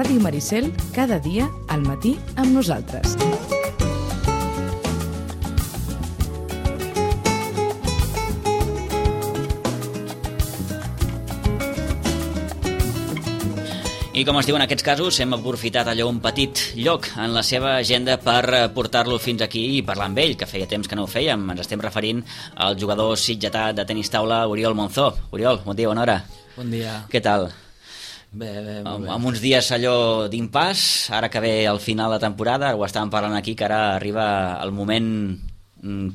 Ràdio Maricel, cada dia al matí amb nosaltres. I com es diu en aquests casos, hem aprofitat allò un petit lloc en la seva agenda per portar-lo fins aquí i parlar amb ell, que feia temps que no ho fèiem. Ens estem referint al jugador sitgetà de tenis taula, Oriol Monzó. Oriol, bon dia, bona hora. Bon dia. Què tal? Bé, molt bé. Amb uns dies allò d'impàs, ara que ve al final de temporada, ho estàvem parlant aquí, que ara arriba el moment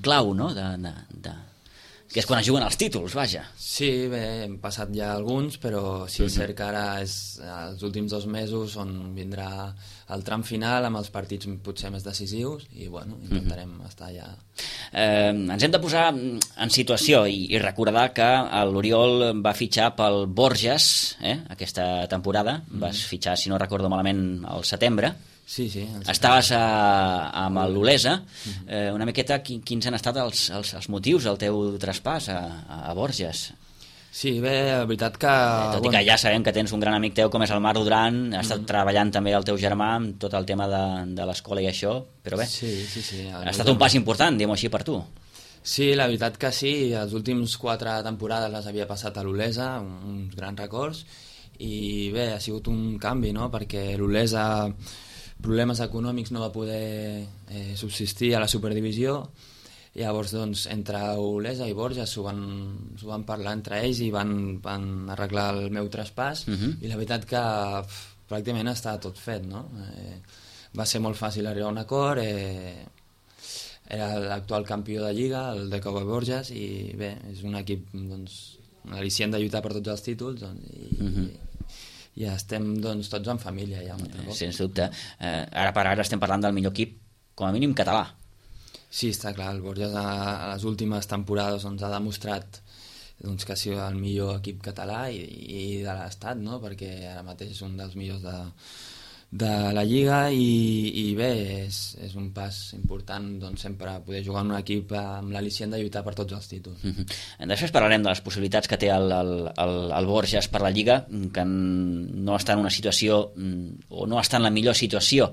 clau, no?, que és quan es juguen els títols, vaja. Sí, bé, hem passat ja alguns, però sí és cert que ara és els últims 2 mesos on vindrà el tram final amb els partits potser més decisius i, bueno, intentarem estar ja... Ens hem de posar en situació i recordar que l'Oriol va fitxar pel Borges, aquesta temporada, vas fitxar, si no recordo malament, al setembre. Sí. Estaves amb l'Olesa. Una miqueta, quins han estat els motius del teu traspàs a Borges? Sí, bé, la veritat que... Tot i que ja sabem que tens un gran amic teu com és el Marc Duran, ha estat treballant també el teu germà amb tot el tema de l'escola i això, però bé, sí. Ha estat un pas important, diguem-ho així, per tu. Sí, la veritat que sí, els últims 4 temporades les havia passat a l'Olesa, uns grans records, i bé, ha sigut un canvi, no?, perquè l'Olesa... problemes econòmics no va poder subsistir a la superdivisió. Llavors, doncs, entre Olesa i Borges s'ho van parlar entre ells i van arreglar el meu traspàs, i la veritat que pràcticament està tot fet, no? Va ser molt fàcil arribar a un acord, era l'actual campió de Lliga, el de Cowboy Borges, i bé, és un equip, doncs, al·licient de lluitar per tots els títols, doncs, i estem, doncs, tots en família ja. Sens dubte. Ara per ara estem parlant del millor equip, com a mínim català. Sí, està clar, el Borges a les últimes temporades doncs, ha demostrat doncs, que ha sigut el millor equip català i de l'estat, no?, perquè ara mateix és un dels millors de la Lliga i bé, és un pas important, doncs, sempre poder jugar en un equip amb l'al·licient de lluitar per tots els títols. Després parlarem de les possibilitats que té el Borges per la Lliga, que no està en una situació o no està en la millor situació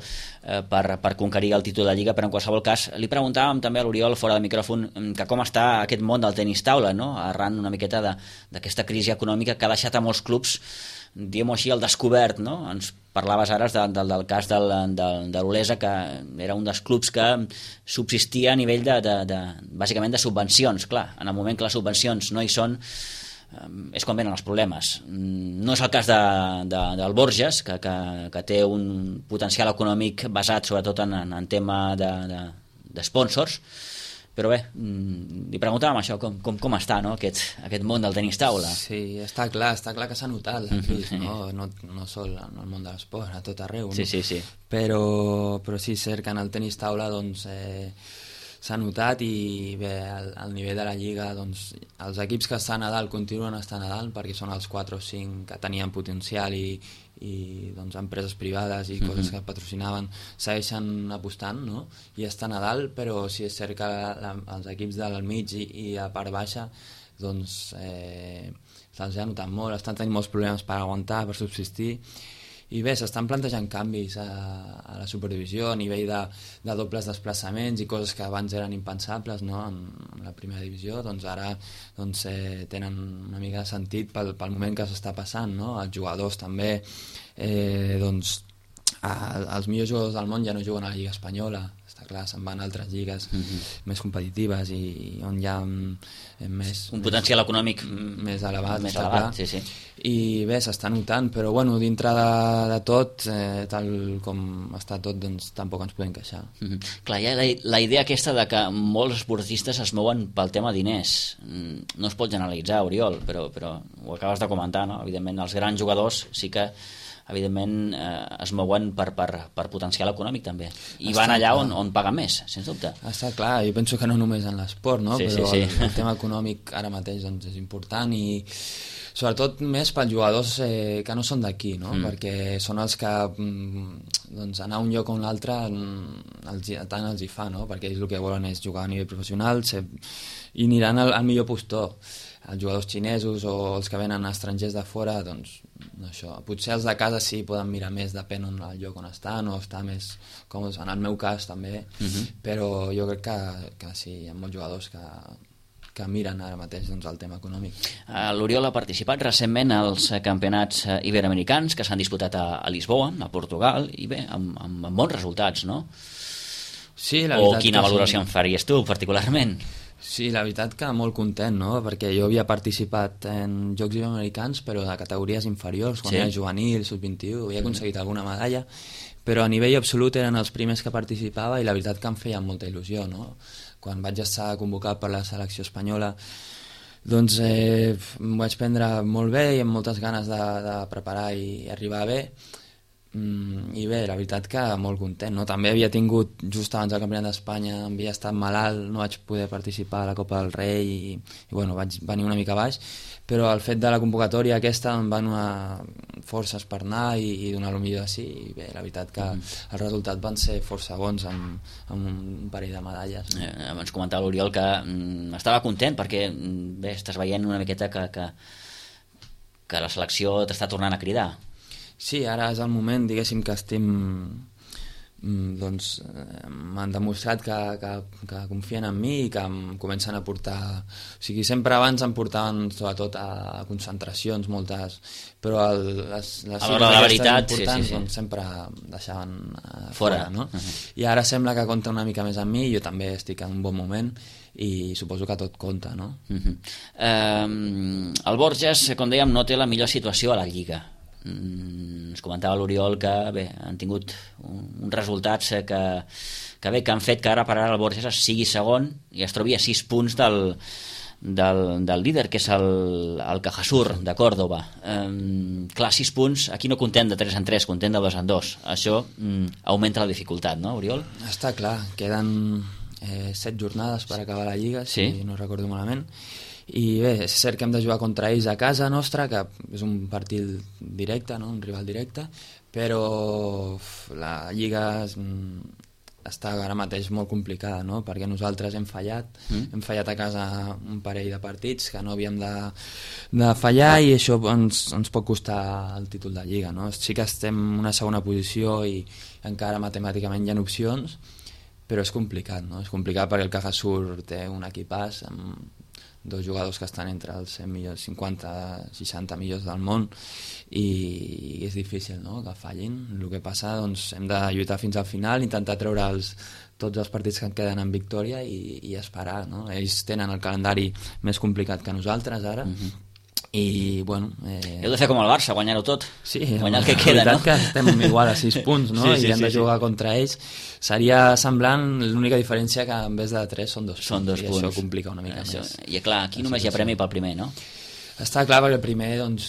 per conquerir el títol de Lliga, però en qualsevol cas li preguntàvem també a l'Oriol fora del micròfon que com està aquest món del tenis taula, no?, arran una miqueta d'aquesta crisi econòmica que ha deixat a molts clubs, diguem-ho així, al descobert, no? Ens parlaves ara del cas de l'Olesa, que era un dels clubs que subsistia a nivell bàsicament de subvencions. Clar, en el moment que les subvencions no hi són, és quan venen els problemes. No és el cas del Borges, que té un potencial econòmic basat sobretot en tema de sponsors, però bé, li preguntàvem això, com està, no?, aquest món del tenis taula. Sí, està clar que s'ha notat la crisi, no sol en el món de l'esport, a tot arreu, no? Sí. Però sí, és cert que en el tenis taula doncs, s'ha notat i bé, al nivell de la Lliga doncs, els equips que estan a dalt continuen estant a dalt perquè són els 4 o 5 que tenien potencial i doncs, empreses privades i coses que patrocinaven segueixen apostant, no?, i estan a dalt, però sí és cert que els equips del mig i a part baixa doncs se'ls ha notat molt, estan tenint molts problemes per aguantar, per subsistir, i bé, s'estan plantejant canvis a la superdivisió a nivell de dobles desplaçaments i coses que abans eren impensables, no?, en la primera divisió, doncs ara doncs, tenen una mica de sentit pel moment que s'està passant, no?, els jugadors també, doncs els millors jugadors del món ja no juguen a la Lliga Espanyola, està clar, se'n van a altres lligues més competitives i on hi ha més... Un potencial econòmic més elevat, més elevat, sí. I bé, s'està notant, però bueno, dintre de tot, tal com està tot, doncs tampoc ens podem queixar. Clar, hi ha la idea aquesta de que molts esportistes es mouen pel tema diners. No es pot generalitzar, Oriol, però ho acabes de comentar, no? Evidentment, els grans jugadors sí que evidentment es mouen per potencial econòmic també, i van allà on paguen més, sens dubte. Està clar, jo penso que no només en l'esport, no? Sí, però sí. El tema econòmic ara mateix doncs, és important i sobretot més pels jugadors que no són d'aquí, no? Perquè són els que doncs, anar a un lloc o un altre tant els hi fa, no? Perquè ells el que volen és jugar a nivell professional i aniran al millor postor. Els jugadors xinesos o els que venen estrangers de fora, doncs això. Potser els de casa sí poden mirar més, depèn del lloc on estan o estar més còmodes, en el meu cas també, però jo crec que sí, hi ha molts jugadors que miren ara mateix doncs, el tema econòmic. L'Oriol ha participat recentment als campionats iberoamericans que s'han disputat a Lisboa, a Portugal, i bé, amb bons resultats, no? Sí, la veritat. O quina valoració en faries tu, particularment? Sí, la veritat que molt content, no? Perquè jo havia participat en Jocs Iberoamericans, però de categories inferiors, quan era juvenil, sub-21, havia aconseguit alguna medalla, però a nivell absolut eren els primers que participava i la veritat que em feia molta il·lusió, no? Quan vaig estar convocat per la selecció espanyola, doncs m'ho vaig prendre molt bé i amb moltes ganes de preparar i arribar bé. I bé, la veritat que molt content, no? També havia tingut, just abans del Campionat d'Espanya, havia estat malalt, no vaig poder participar a la Copa del Rei i bueno, vaig venir una mica baix, però el fet de la convocatòria aquesta em va donar forces per anar i donar el millor de si, i bé, la veritat que els resultats van ser força bons amb un parell de medalles. Ens comentava l'Oriol que estava content perquè bé, estàs veient una miqueta que la selecció t'està tornant a cridar. Sí, ara és el moment, diguéssim, que estem... doncs m'han demostrat que confien en mi i que em comencen a portar... O sigui, sempre abans em portaven sobretot a concentracions moltes, però les la veritat, importants sí. Doncs, sempre deixaven fora, no? I ara sembla que compta una mica més amb mi, jo també estic en un bon moment i suposo que tot compta, no? El Borges, com dèiem, no té la millor situació a la Lliga. Ens comentava l'Oriol que bé, han tingut uns resultats que han fet que ara per ara el Borges sigui segon i es trobi a 6 punts del líder, que és el Cajasur de Córdoba. Clar, 6 punts, aquí no contem de 3 en 3, contem de 2 en 2. Això augmenta la dificultat, no, Oriol? Està clar, queden 7 jornades per acabar la Lliga, si no recordo malament, i bé, és cert que hem de jugar contra ells a casa nostra, que és un partit directe, no? Un rival directe, però la Lliga està ara mateix molt complicada, no? Perquè nosaltres hem fallat a casa un parell de partits que no havíem de fallar i això ens pot costar el títol de Lliga, no? Sí que estem en una segona posició i encara matemàticament hi ha opcions, però és complicat, no? És complicat perquè el Cajasur té un equipàs amb 2 jugadors que estan entre els 100 millors, 50-60 millors del món i és difícil, no?, que fallin. El que passa, doncs, hem de lluitar fins al final, intentar treure tots els partits que en queden en victòria i esperar, no? Ells tenen el calendari més complicat que nosaltres ara, i bueno... Heu de fer com el Barça, guanyar-ho tot, sí, guanyar el que queda, no? Que estem igual a 6 punts, no? I hem de jugar contra ells. Seria semblant, l'única diferència que en vez de 3 són 2 punts, i això complica una mica més. I clar, aquí només hi ha premi pel primer, no? Està clar, perquè el primer doncs,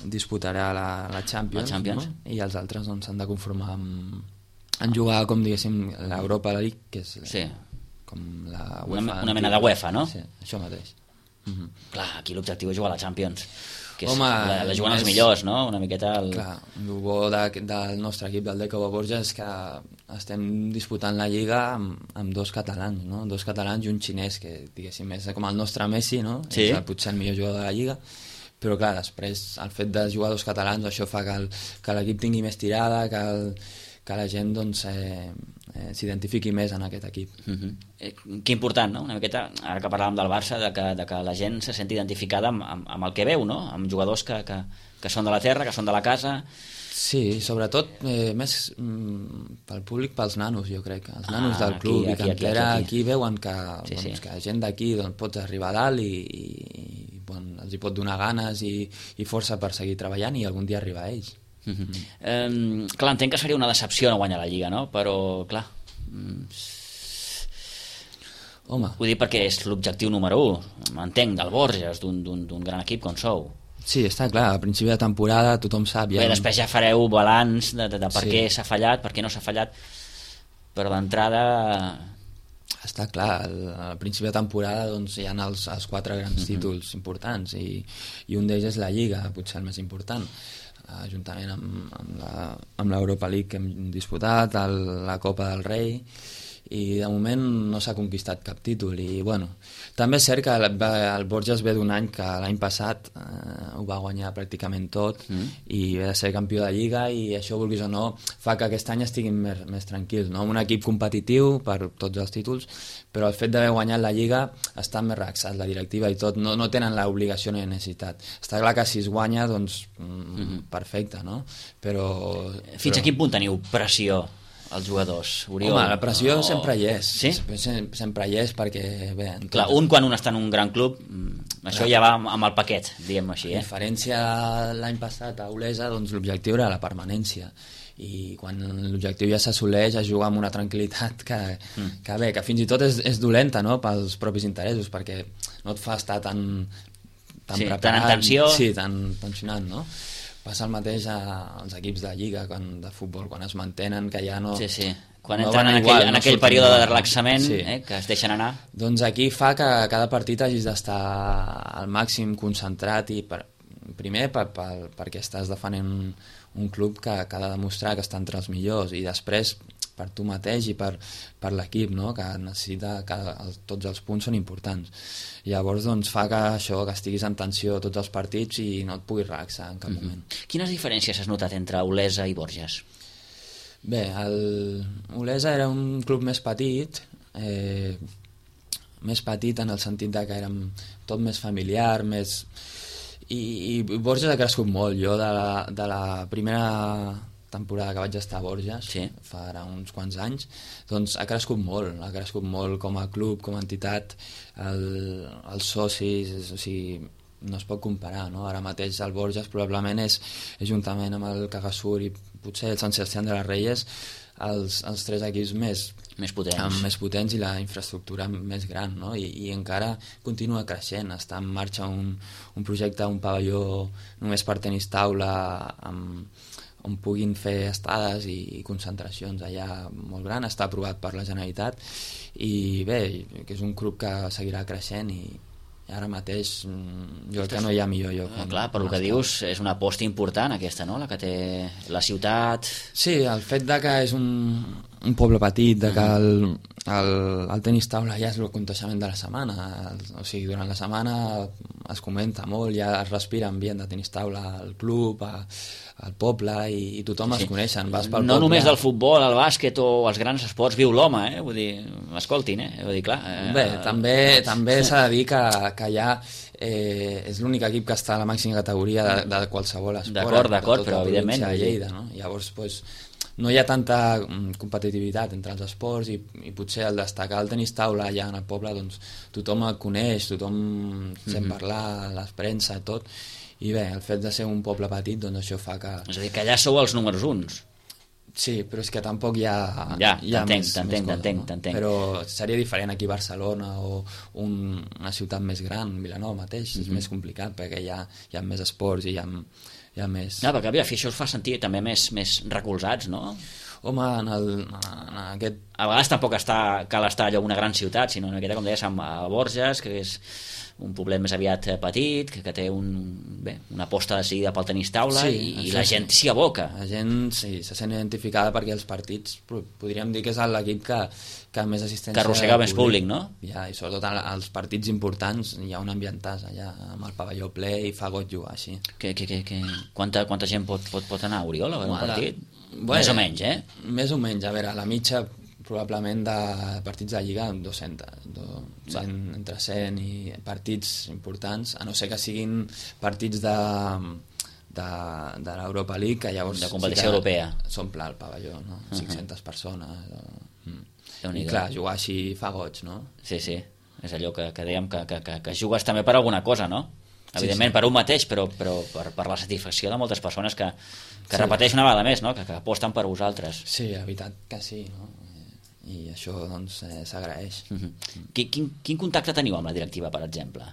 disputarà la Champions, no? I els altres doncs, s'han de conformar en jugar, com diguéssim, l'Europa League, que és com la UEFA. Una mena de UEFA, no? Sí, això mateix. Clar, aquí l'objectiu és jugar a la Champions, que home, la juguen els millors, no? Una miqueta Clar, el bo del nostre equip, del Deco Borges, és que estem disputant la Lliga amb 2 catalans, no? 2 catalans i un xinès, que diguéssim és com el nostre Messi, no? Sí. És potser el millor jugador de la Lliga, però clar, després el fet de jugar 2 catalans això fa que l'equip tingui més tirada, que la gent doncs, s'identifiqui més en aquest equip. Que important, no? Una miqueta, ara que parlàvem del Barça, de que la gent se senti identificada amb el que veu, no? Amb jugadors que són de la terra, que són de la casa. Sí, sobretot més pel públic, pels nanos, jo crec. Els nanos del club i cantera aquí veuen que la gent d'aquí doncs, pot arribar a dalt i els hi pot donar ganes i força per seguir treballant i algun dia arribar a ells. Clar, entenc que seria una decepció no guanyar la Lliga, no? Però, clar, home, ho dic perquè és l'objectiu número 1, m'entenc, del Borges, d'un gran equip com sou. Sí, està clar, a principi de temporada tothom sap... Bé, després ja fareu balanç de per què s'ha fallat, per què no s'ha fallat, però d'entrada Està clar, al principi de temporada doncs, hi ha els 4 grans títols importants i un d'ells és la Lliga, potser el més important, juntament amb l'Europa League que hem disputat, la Copa del Rei, i de moment no s'ha conquistat cap títol. I bueno, també és cert que el Borges ve d'un any que l'any passat ho va guanyar pràcticament tot i ve de ser campió de Lliga, i això, vulguis o no, fa que aquest any estiguin més tranquils, no? Un equip competitiu per tots els títols, però el fet d'haver guanyat la Lliga està més relaxat, la directiva i tot, no tenen l'obligació ni la necessitat. Està clar que si es guanya, doncs perfecte, no? Però fins a quin punt teniu pressió els jugadors, Oriol? Home, la pressió sempre hi és. Sí? Sempre hi és perquè... Bé, clar, quan un està en un gran club, això ja va amb el paquet, diguem-ho així. A diferència l'any passat a Olesa, doncs l'objectiu era la permanència, i quan l'objectiu ja s'assoleix es juga amb una tranquil·litat que fins i tot és dolenta, no?, pels propis interessos, perquè no et fa estar tan preparat, tan en tensió, tan tensionat, no? Passa el mateix als equips de Lliga, de futbol, quan es mantenen, que ja no... Sí. Quan entren en aquell període de relaxament, que es deixen anar. Doncs aquí fa que cada partit hagis d'estar al màxim concentrat, i primer perquè estàs defendent un club que ha de demostrar que està entre els millors, i després per tu mateix i per l'equip, no?, que necessita que tots els punts són importants. Llavors doncs fa que estiguis en tensió tots els partits i no et puguis relaxar en cap moment. Quines diferències has notat entre Olesa i Borges? Bé, Olesa era un club més petit en el sentit que érem tot més familiar, i Borges ha crescut molt. Jo de la primera temporada que vaig estar a Borges, fa ara uns quants anys, doncs ha crescut molt com a club, com a entitat, els socis, o sigui, no es pot comparar, no? Ara mateix el Borges probablement és juntament amb el Cagasur i potser el Sant Sebastián de les Reyes els 3 equips més potents i la infraestructura més gran, no? I encara continua creixent. Està en marxa un projecte, un pavelló només per tenis taula, on puguin fer estades i concentracions allà molt gran. Està aprovat per la Generalitat i bé, que és un club que seguirà creixent, i ara mateix jo crec que no hi ha millor lloc. Clar, per el que dius, és una aposta important aquesta, no?, la que té la ciutat. Sí, el fet de que és un poble petit, de que el tenis taula ja és el coneixement de la setmana, o sigui, durant la setmana es comenta molt, ja es respira ambient de tenis taula al club, al poble, i tothom es coneixen. Vas pel no només del futbol, el bàsquet o els grans esports, viu l'home, vull dir, escoltin, vull dir, clar. Bé, també s'ha de dir que ja és l'únic equip que està a la màxima categoria de qualsevol esport. D'acord, però evidentment. De Lleida, no? Llavors, doncs, no hi ha tanta competitivitat entre els esports, i potser al destacar el tenis taula allà en el poble, doncs tothom el coneix, tothom sent parlar, la premsa, tot. I bé, el fet de ser un poble petit, doncs això fa que... És a dir, que allà sou els números 1. Sí, però és que tampoc hi ha... T'entenc. Però seria diferent aquí a Barcelona o una ciutat més gran, Vilanova mateix, és més complicat, perquè hi ha més esports i hi ha més... Perquè això us fa sentir també més recolzats, no? Home, en aquest... A vegades tampoc cal estar allò una gran ciutat, sinó en aquesta, com deies, a Borges, que és un poblet més aviat petit, que té una aposta decidida pel tenis taula, i la gent s'hi aboca. La gent se sent identificada perquè els partits, podríem dir que és l'equip que més assistència... Que arrossega més públic, no? Ja, i sobretot als partits importants hi ha un ambientàs allà amb el pavelló ple i fa goig jugar així. Quanta gent pot anar, Oriol, a veure un partit? Més o menys, Més o menys, a veure, la mitja probablement de partits de Lliga 200, entre 100 i partits importants, a no ser que siguin partits de l'Europa League, que llavors de competició europea s'omple el pavelló, no? 500 persones i clar, jugar així fa goig, no? Sí, és allò que dèiem que jugues també per alguna cosa, no? Evidentment per un mateix, però per la satisfacció de moltes persones que repeteix una vegada més, no? Que aposten per vosaltres. Sí, la veritat que sí, no? I això doncs s'agraeix. Quin contacte teniu amb la directiva, per exemple?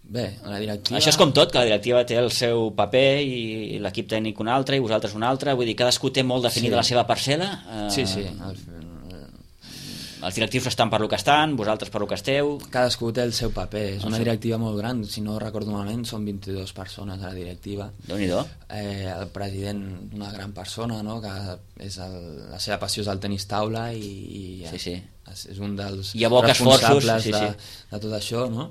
Bé, la directiva... Això és com tot, que la directiva té el seu paper i l'equip tècnic un altre i vosaltres un altre, vull dir, cadascú té molt definida la seva parcel·la. Sí. els directius estan per lo que estan, vosaltres per lo que esteu... Cadascú té el seu paper, és una directiva molt gran, si no recordo malament són 22 persones a la directiva. Déu-n'hi-do. El president, una gran persona, no? Que és la seva passió és el tenis taula i és un dels responsables de tot això, no?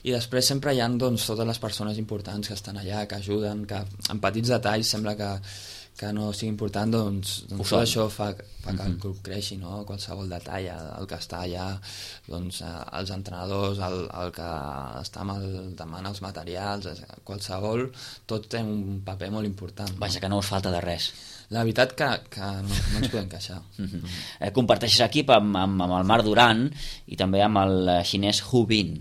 I després sempre hi ha doncs, totes les persones importants que estan allà, que ajuden, que en petits detalls sembla que no sigui important, doncs tot això fa que el club creixi, no? Qualsevol detall, el que està allà, doncs, els entrenadors, el que està demana els materials, qualsevol, tot té un paper molt important. Vaja, que no us falta de res. La veritat que no ens podem queixar. Comparteixes equip amb el Marc Duran i també amb el xinès Hu Bin.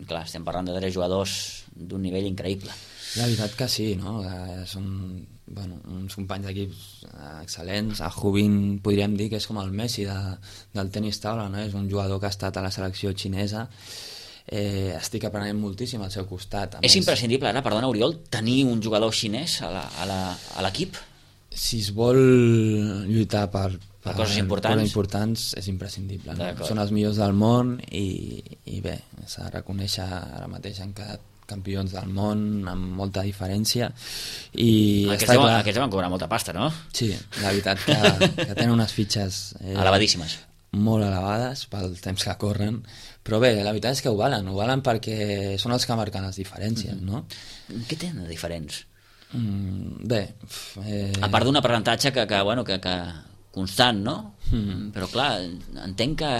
Clar, estem parlant de 3 jugadors d'un nivell increïble. La veritat que sí, no? Són uns companys d'equips excel·lents. A Hu Bin podríem dir que és com el Messi del tenis taula, no? És un jugador que ha estat a la selecció xinesa. Estic aprenent moltíssim al seu costat. És imprescindible ara, perdona Oriol, tenir un jugador xinès a l'equip? Si es vol lluitar per coses importants és imprescindible, no? Són els millors del món i bé, s'ha de reconèixer, ara mateix han quedat campions del món amb molta diferència i aquests van cobrar molta pasta, no? Sí, la veritat que tenen unes fitxes elevadíssimes, molt elevades pel temps que corren, però bé, la veritat és que ho valen perquè són els que marquen les diferències, no? Què tenen de diferents? Bé, a part d'un aprenentatge que constant, no? Però clar, entenc que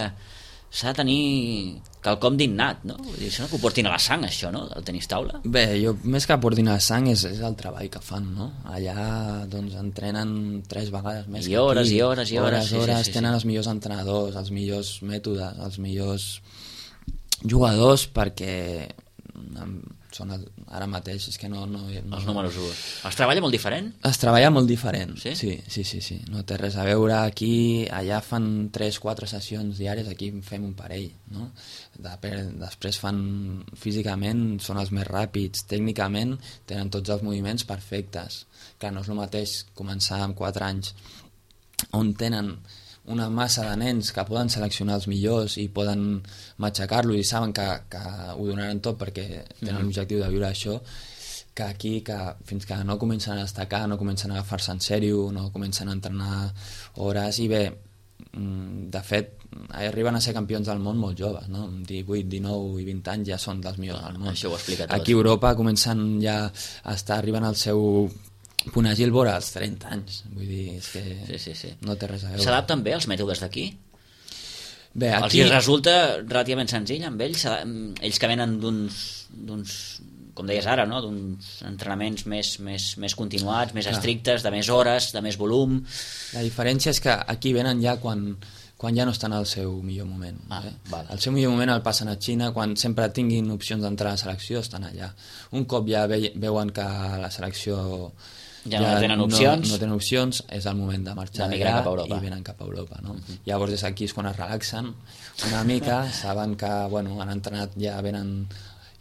s'ha de tenir quelcom d'innat, no? Vull dir, sembla que ho portin a la sang, això, no?, del tenis taula. Bé, jo més que portin a la sang és el treball que fan, no? Allà, doncs, entrenen 3 vegades més que aquí. I hores. Tenen els millors entrenadors, els millors mètodes, els millors jugadors, perquè són ara mateix, és que no els números 1. Es treballa molt diferent? Es treballa molt diferent, sí? Sí. No té res a veure aquí, allà fan 3-4 sessions diàries, aquí fem un parell, no? Després fan físicament, són els més ràpids, tècnicament tenen tots els moviments perfectes. Clar, no és el mateix començar amb 4 anys on tenen una massa de nens que poden seleccionar els millors i poden matxacar-los i saben que ho donaran tot perquè tenen l'objectiu de viure això, que aquí fins que no comencen a destacar, no comencen a agafar-se en sèrio, no comencen a entrenar hores i bé, de fet arriben a ser campions del món molt joves, no? 18, 19 i 20 anys ja són dels millors del món. Això ho explica tot. Aquí a Europa comencen ja a estar arribant al seu punt àgil vora als 30 anys, vull dir, és que sí. No té res a veure. S'adapten bé els mètodes d'aquí? Bé, aquí... Els resulta relativament senzill amb ells que venen d'uns, com deies ara, no?, d'uns entrenaments més continuats, més estrictes, de més hores, de més volum. La diferència és que aquí venen ja quan ja no estan al seu millor moment. Vale. El seu millor moment el passen a Xina, quan sempre tinguin opcions d'entrar a la selecció estan allà. Un cop ja veuen que la selecció ja no tenen opcions, no tenen opcions, és el moment de marxar d'allà i venen cap a Europa, no? Llavors des d'aquí és quan es relaxen una mica, saben que han entrenat, ja venen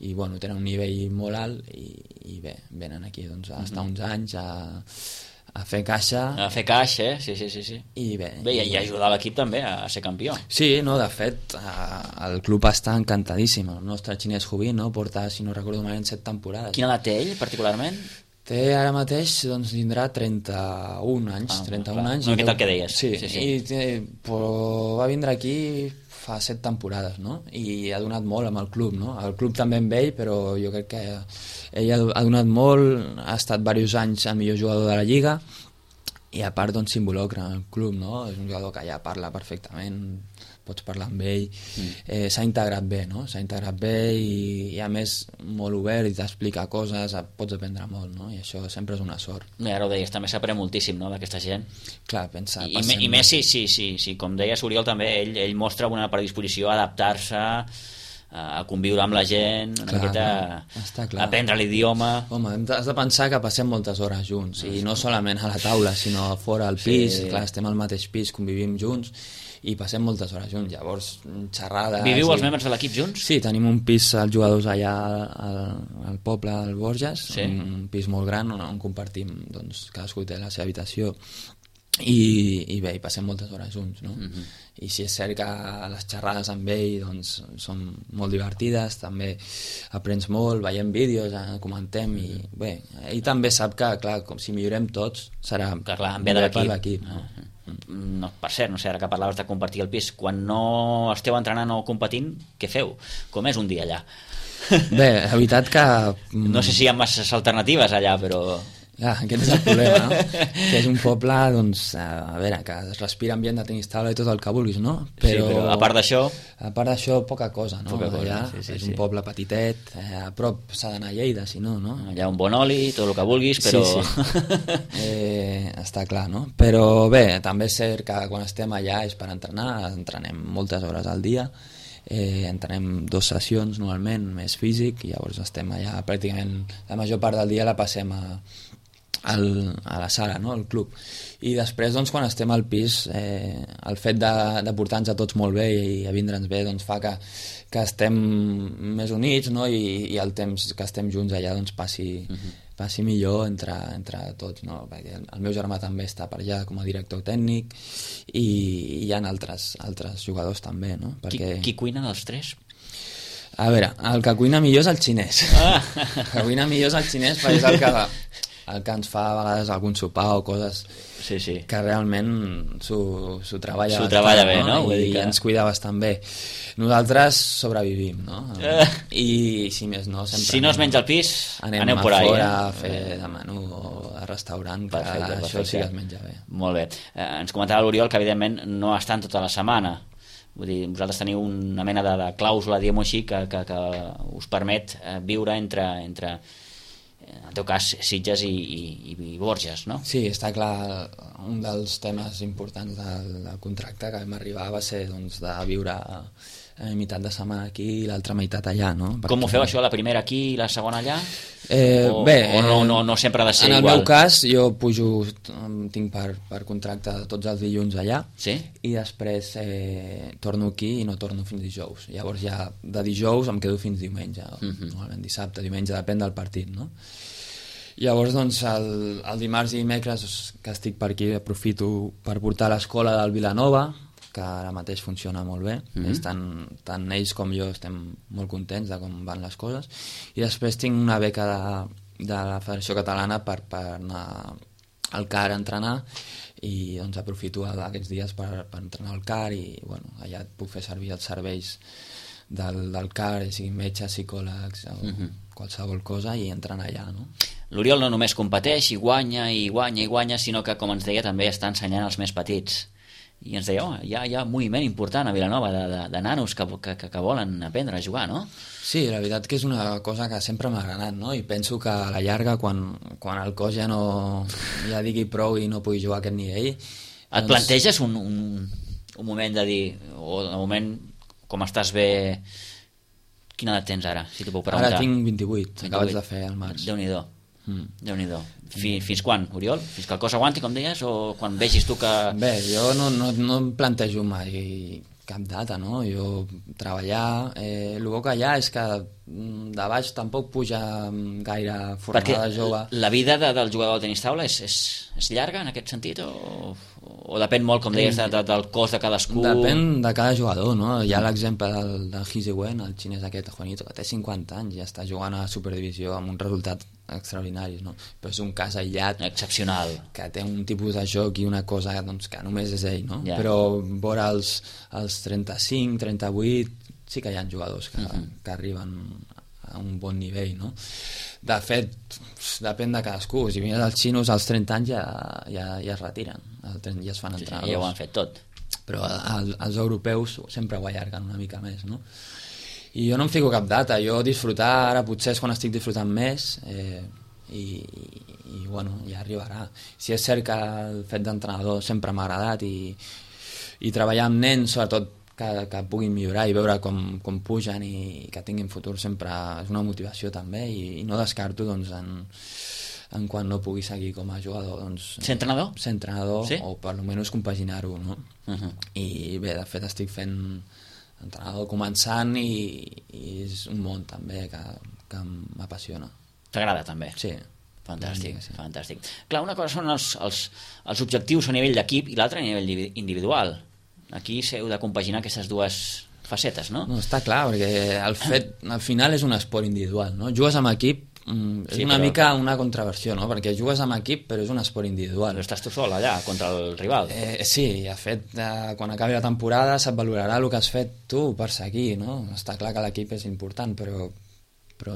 i tenen un nivell molt alt i bé, venen aquí doncs, a estar uns anys a fer caixa. A fer caixa, sí. I bé, i ajudar l'equip també a ser campió. Sí, no, de fet, el club està encantadíssim. El nostre xinès Hu Bin, no? Porta, si no recordo malament, 7 temporades. Quina edat té ell, particularment? Té ara mateix, doncs, tindrà 31 anys. 31 anys. No, què tal que deies? Sí. Però va vindre aquí fa 7 temporades, no? I ha donat molt amb el club, no? El club també amb ell, però jo crec que ell ha donat molt, ha estat diversos anys el millor jugador de la Lliga i a part doncs s'involucra en el club, no? És un jugador que ja parla perfectament, pots parlar amb ell, s'ha integrat bé, no? S'ha integrat bé i a més molt obert i t'explica coses, pots aprendre molt, no? I això sempre és una sort. Ara ho deies, també s'aprèn moltíssim, no?, d'aquesta gent. Clar, pensa... I més sí, com deies Oriol també, ell mostra una predisposició a adaptar-se, a conviure amb la gent, una miqueta a aprendre l'idioma. Home, has de pensar que passem moltes hores junts, i no solament a la taula, sinó fora al pis, clar, estem al mateix pis, convivim junts, i passem moltes hores junts, llavors xerrades... Viviu els membres de l'equip junts? Sí, tenim un pis, els jugadors allà al poble, al Borges, un pis molt gran on compartim, doncs cadascú té la seva habitació i bé, hi passem moltes hores junts, no? I si és cert que les xerrades amb ell doncs, són molt divertides, també aprens molt, veiem vídeos, comentem, i bé, ell també sap que, clar, com si millorem tots, serà millor per l'equip. No, per cert, no sé, ara que parlaves de compartir el pis, quan no esteu entrenant o competint, què feu? Com és un dia allà? Bé, la veritat que... No sé si hi ha masses alternatives allà, però... Aquest és el problema, no? Que és un poble, doncs, a veure, que es respira ambient de tenis taula i tot el que vulguis, no? Però a part d'això... A part d'això, poca cosa, no? Poca cosa, allà és un poble petitet, a prop s'ha d'anar a Lleida, si no, no? Allà un bon oli, tot el que vulguis, però... Sí. Està clar, no? Però bé, també és cert que quan estem allà és per entrenar, entrenem moltes hores al dia, entrenem 2 sessions normalment, més físic, i llavors estem allà pràcticament la major part del dia la passem a la sala, no? Al club, i després doncs, quan estem al pis, el fet de portar-nos a tots molt bé i a vindre'ns bé doncs, fa que estem més units, no? I el temps que estem junts allà doncs, passi millor entre tots, no? Perquè el meu germà també està per allà com a director tècnic, i hi ha altres jugadors també, no? Perquè... Qui cuina dels 3? A veure, el que cuina millor és el xinès. El que cuina millor és el xinès, perquè és el que ens fa a vegades algun sopar o coses que realment s'ho treballa bastant, treballa bé, no? I ens cuida bastant bé. Nosaltres sobrevivim, no? I si més no, sempre... Si no es menja al pis, aneu por ahí. Fora a fer de menú o a restaurant, que això sí que es menja bé. Molt bé. Ens comentava l'Oriol que evidentment no estan tota la setmana. Vull dir, vosaltres teniu una mena de clàusula, diguem-ho així, que us permet viure entre en el teu cas Sitges i Borges, no? Sí, està clar, un dels temes importants del contracte que vam arribar va ser doncs, de viure meitat de setmana aquí i l'altra meitat allà, no? Com ho feu això, la primera aquí i la segona allà? Bé, no sempre ha de ser igual? En el meu cas, jo pujo, tinc per contracte tots els dilluns allà, sí? I després torno aquí i no torno fins dijous. Llavors ja de dijous em quedo fins diumenge, normalment dissabte, diumenge, depèn del partit, no? Llavors, doncs, el dimarts i dimecres que estic per aquí aprofito per portar a l'escola del Vilanova, que ara mateix funciona molt bé. Tant ells com jo estem molt contents de com van les coses. I després tinc una beca de la Federació Catalana per anar al CAR a entrenar, i doncs aprofito aquests dies per entrenar al CAR, i bueno, allà puc fer servir els serveis del CAR, siguin metges, psicòlegs o qualsevol cosa, i entrenar allà, no? L'Oriol no només competeix i guanya, sinó que, com ens deia, també està ensenyant als més petits. I ens deia, hi ha un moviment important a Vilanova de nanos que volen aprendre a jugar, no? Sí, la veritat que és una cosa que sempre m'ha agradat, no? I penso que a la llarga, quan el cos ja digui prou i no pugui jugar a aquest nivell... Et planteges un moment de dir, o de moment, com estàs bé... Quina edat tens ara, si t'ho puc preguntar? Ara tinc 28, acabes de fer al març. Déu-n'hi-do. Déu-n'hi-do. Fins quan, Oriol? Fins que el cos aguanti, com deies, o quan vegis tu que... Bé, jo no em plantejo mai cap data, no? Jo treballar... El bo que hi ha és que de baix tampoc puja gaire fornada jove. La vida del jugador de tenis taula és llarga en aquest sentit, o depèn molt, com deies, del cos de cadascú? Depèn de cada jugador, no? Hi ha l'exemple del Hsi Wen, el xinès aquest, Juanito, que té 50 anys i ja està jugant a Superdivisió amb un resultat extraordinaris, no? Però és un cas aïllat, excepcional, que té un tipus de joc i una cosa doncs, que només és ell, no? Yeah. Però vora els 35, 38 sí que hi ha jugadors que arriben a un bon nivell, no? De fet, depèn de cadascú. Si vines als xinos als 30 anys ja es retiren, ja es fan entrenadors. Ja ho han fet tot. Però els europeus sempre ho allarguen una mica més, no? I jo no em fico cap data, jo disfrutar ara potser és quan estic disfrutant més, i bueno, ja arribarà. Si és cert que el fet d'entrenador sempre m'ha agradat, i treballar amb nens, sobretot que puguin millorar i veure com pugen i que tinguin futur, sempre és una motivació també, i no descarto doncs, en quan no pugui seguir com a jugador, doncs, ser entrenador? Ser entrenador, sí? O per almenys compaginar-ho, no? I bé, de fet estic fent entrenador començant, i és un món també que m'apassiona. T'agrada també? Sí. Fantàstic, fantàstic. Clar, una cosa són els objectius a nivell d'equip i l'altra a nivell individual. Aquí s'heu de compaginar aquestes dues facetes, no? No, està clar, perquè al final és un esport individual, no? Jugues amb equip, és una mica una contraversió, no? Perquè jugues amb equip però és un esport individual. Però estàs tu sol allà contra el rival. Sí, de fet, quan acabi la temporada se't valorarà el que has fet tu per seguir, no? Està clar que l'equip és important, però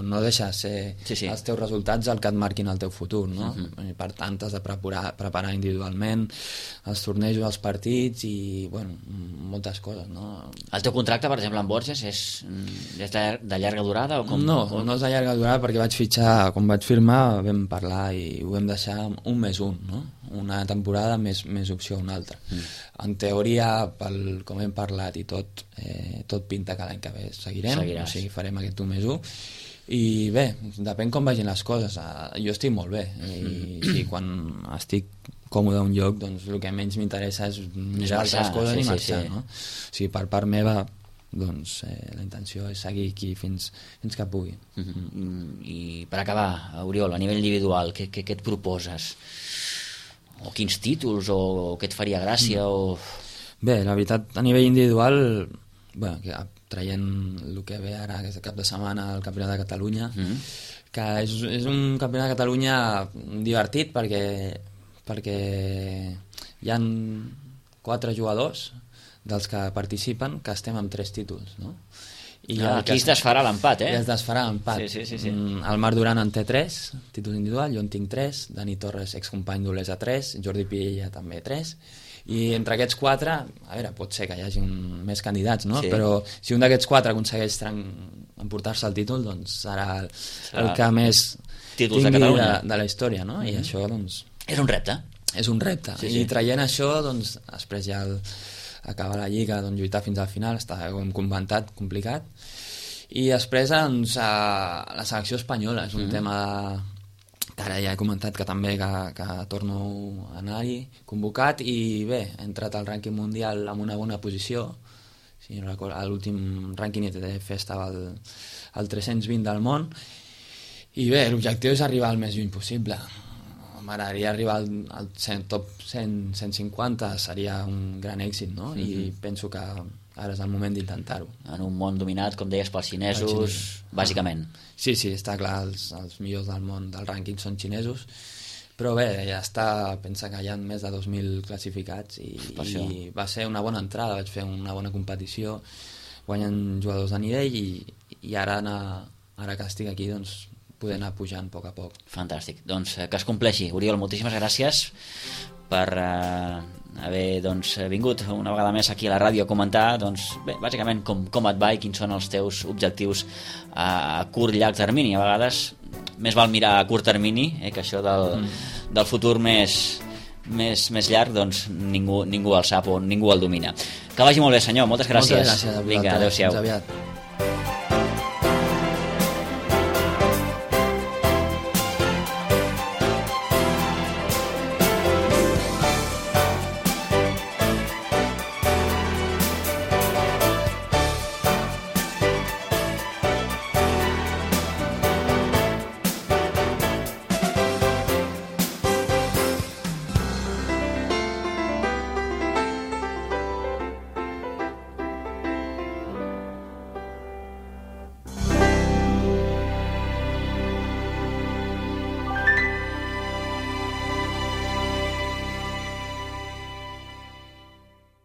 no deixa de ser els teus resultats el que et marquin el teu futur, no? I per tant t'has de preparar individualment els tornejos, els partits i, bueno, moltes coses, no? El teu contracte, per exemple, amb Borges és de llarga durada? O com? No és de llarga durada perquè vaig fitxar, quan vaig firmar vam parlar i ho vam deixar 1 més 1, no? Una temporada més opció a una altra. En teoria, com hem parlat i tot pinta que l'any que ve seguirem, o sigui, farem aquest 1 més 1 i bé, depèn com vagin les coses. Jo estic molt bé i quan estic còmode a un lloc, doncs el que menys m'interessa és mirar altres coses i marxar, no? O sigui, per part meva, doncs la intenció és seguir aquí fins que pugui. I per acabar, Oriol, a nivell individual, què et proposes? O quins títols, o què et faria gràcia? Bé, la veritat, a nivell individual, bueno, traient el que ve ara aquest cap de setmana el Campionat de Catalunya, que és un Campionat de Catalunya divertit perquè hi han 4 jugadors dels que participen que estem amb 3 títols, no? I aquí es desfarà l'empat, es desfarà l'empat. Sí. El Marc Duran en té 3 títols individuals, jo en tinc 3, Dani Torres, excompany d'Olesa, 3, Jordi Piella també 3, i entre aquests 4, a veure, pot ser que hi hagi més candidats, no? Però si un d'aquests 4 aconsegueix emportar-se el títol, doncs serà el que més tingui de la història, no? I això, doncs... És un repte. És un repte. I traient això, doncs, després ja acabar la Lliga, doncs, lluitar fins al final, està com comentat, complicat. I després, doncs, la selecció espanyola és un tema que ara ja he comentat que també que torno a anar-hi convocat i bé, he entrat al rànquing mundial amb una bona posició. Si no recordo, l'últim rànquing ITF estava al 320 del món i bé, l'objectiu és arribar al més lluny possible. M'agradaria arribar al top 150, seria un gran èxit, no? I penso que ara és el moment d'intentar-ho. En un món dominat, com deies, pels xinesos, bàsicament. Sí, està clar, els millors del món del rànquing són xinesos, però bé, ja està, pensa que hi ha més de 2.000 classificats i va ser una bona entrada, vaig fer una bona competició, guanyen jugadors de nivell i ara que estic aquí, doncs, poder anar pujant a poc a poc. Fantàstic, doncs que es compleixi. Oriol, moltíssimes gràcies per haver vingut una vegada més aquí a la ràdio a comentar bàsicament com et va i quins són els teus objectius a curt i llarg termini. A vegades més val mirar a curt termini que això del futur més llarg, doncs ningú el sap o ningú el domina. Que vagi molt bé, senyor, moltes gràcies. Moltes gràcies. Vinga, adéu-siau. Fins aviat.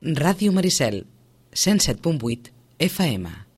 Ràdio Maricel, 107.8 FM.